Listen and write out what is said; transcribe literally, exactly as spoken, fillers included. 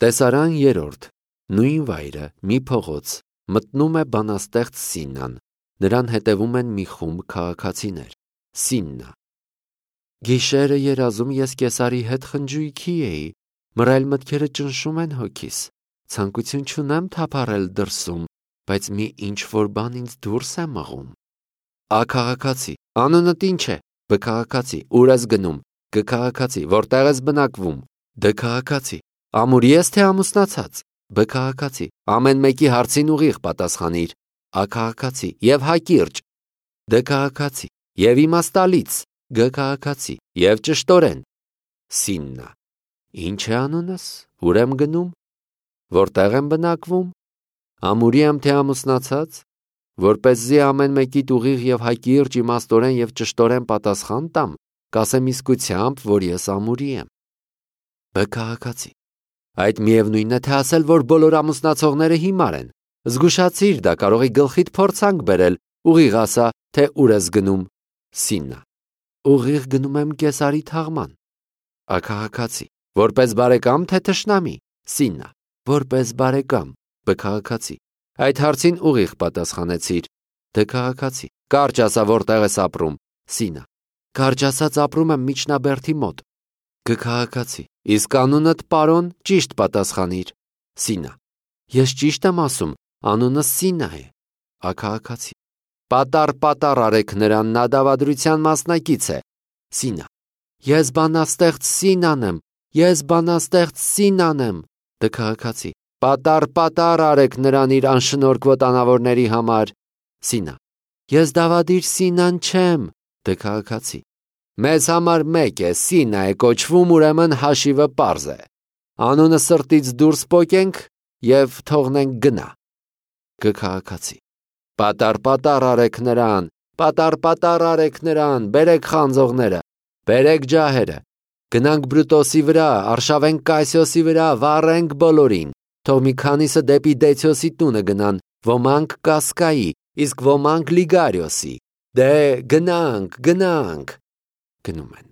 Տեսարան երրորդ. Նույն վայրը մի փողոց մտնում է բանաստեղծ Սիննան, նրան հետևում են մի խումբ քաղաքացիներ։ Սիննա. Գիշերը երազում ես Կեսարի հետ խնջույքի էի, մռայլ մտքերը ճնշում են հոգիս, ցանկություն չունեմ թափառել դրսում, բայց մի ինչ-որ բան ինձ դուրս է մղում։ Ա քաղաքացի. Անունդ ինչ է։ Բ քաղաքացի. Ուր ես գնում։ Գ քաղաքացի. Որտեղ ես բնակվում։ Դ քաղաքացի. Ամուրի ես թե ամուսնացած։ Բ քաղաքացի. Ամեն մեկի հարցին ուղիղ պատասխանիր։ Ա քաղաքացի. Եվ հակիրճ։ Դ քաղաքացի. Եվ իմաստալից։ Գ քաղաքացի. Եվ ճշտորեն։ Սիննա. Ինչ է անունս։ Ուր եմ գնում։ Որտեղ եմ բնակվում։ Ամուրի եմ թե ամուսնացած։ Որպեսզի ամեն մեկիդ ուղիղ եւ հակիրճ, իմաստորեն եւ ճշտորեն պատասխան տամ, կասեմ իսկությամբ, որ ես ամուրի եմ։ Բ քաղաքացի. Այդ միևնույնն է թե ասել, որ բոլոր ամուսնացողները հիմար են։ Զգուշացիր, դա կարող է գլխիդ փորձանք բերել, ուղիղ ասա, թե ուր ես գնում։ Սիննա. Ուղիղ գնում եմ Կեսարի թաղման։ Ա քաղաքացի. Որպես բարեկամ թե թշնամի։ Սիննա. Որպես բարեկամ։ Բ քաղաքացի. Այդ հարցին ուղիղ պատասխանեցիր։ Դ քաղաքացի. Կարճ ասա, որտեղ ես ապրում։ Սիննա. Կարճ ասած ապրում եմ Միջնաբերդի մոտ։ Գ քաղաքացի. Իսկ անունդ պարոն ճիշտ պատասխանիր։ Սիննա. Ես ճիշտ եմ ասում, անունս Սիննա է։ Ա քաղաքացի. Պատառ-պատառ արեք նրան, նա դավադրության մասնակից է։ Սիննա. Ես բանաստեղծ Սիննան եմ, ես բանաստեղծ Սիննան եմ։ Դ քաղաքացի. Պատառ-պատառ արեք նրան իր անշնորհք վտանավորների համար։ Սիննա. Ես դավադիր Սիննան չեմ։ Դ քաղաքացի. Մեզ համար մեկ է, Սիննա է կոչվում, ուրեմն հաշիվը պարզ է։ Անունը սրտից դուրս պոկենք եւ թողնենք գնա։ Գ քաղաքացի. Պատառ-պատառ արեք նրան, պատառ-պատառ արեք նրան, բերեք խանձողները, բերեք ջահերը, գնանք Բրուտոսի վրա, արշավենք Կասիոսի վրա, վառենք բոլորին, թող մի քանիսը դեպի Դեցիոսի տունը գնան, ոմանք Կասկայի, իսկ ոմանք Լիգարիոսի, դե գնանք, գնանք։ Գնում են։